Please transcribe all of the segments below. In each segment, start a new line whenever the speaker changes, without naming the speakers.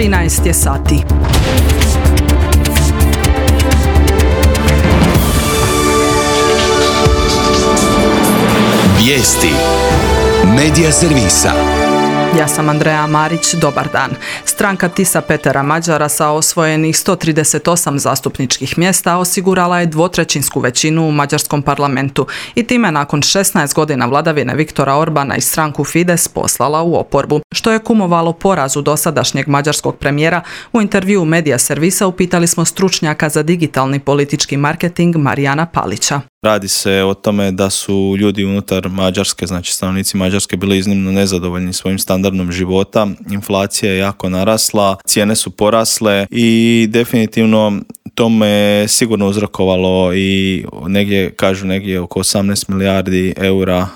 13 je sati.
Vijesti Medija servisa.
Ja sam Andreja Marić, dobar dan. Stranka Tisa Petera Mađara sa osvojenih 138 zastupničkih mjesta osigurala je dvotrećinsku većinu u mađarskom parlamentu i time nakon 16 godina vladavine Viktora Orbana i stranku Fides poslala u oporbu, što je kumovalo porazu dosadašnjeg mađarskog premijera. U intervjuu Medija servisa upitali smo stručnjaka za digitalni politički marketing Marijana Palića.
Radi se o tome da su ljudi unutar Mađarske, znači stanovnici Mađarske, bili iznimno nezadovoljni svojim standardom života. Inflacija je jako narasla, cijene su porasle i definitivno tome je sigurno uzrokovalo i negdje oko 18 milijardi eura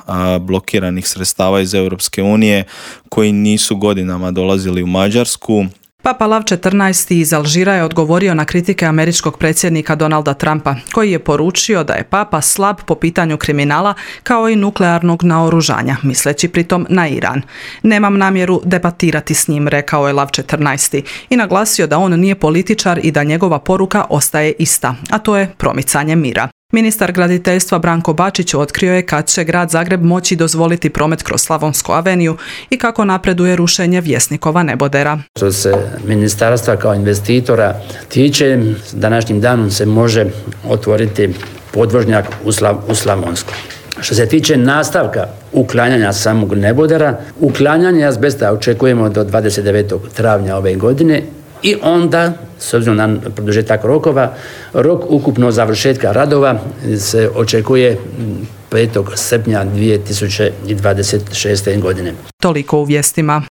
blokiranih sredstava iz Europske unije koji nisu godinama dolazili u Mađarsku.
Papa Lav XIV iz Alžira je odgovorio na kritike američkog predsjednika Donalda Trumpa, koji je poručio da je Papa slab po pitanju kriminala kao i nuklearnog naoružanja, misleći pritom na Iran. Nemam namjeru debatirati s njim, rekao je Lav XIV i naglasio da on nije političar i da njegova poruka ostaje ista, a to je promicanje mira. Ministar graditeljstva Branko Bačić otkrio je kad će grad Zagreb moći dozvoliti promet kroz Slavonsku aveniju i kako napreduje rušenje Vjesnikova nebodera.
Što se ministarstva kao investitora tiče, današnjim danom se može otvoriti podvožnjak u Slavonsku. Što se tiče nastavka uklanjanja samog nebodera, uklanjanje azbesta očekujemo do 29. travnja ove godine i onda, s obzirom na produžetak rokova, rok ukupno završetka radova se očekuje 5. srpnja 2026. godine.
Toliko u vijestima.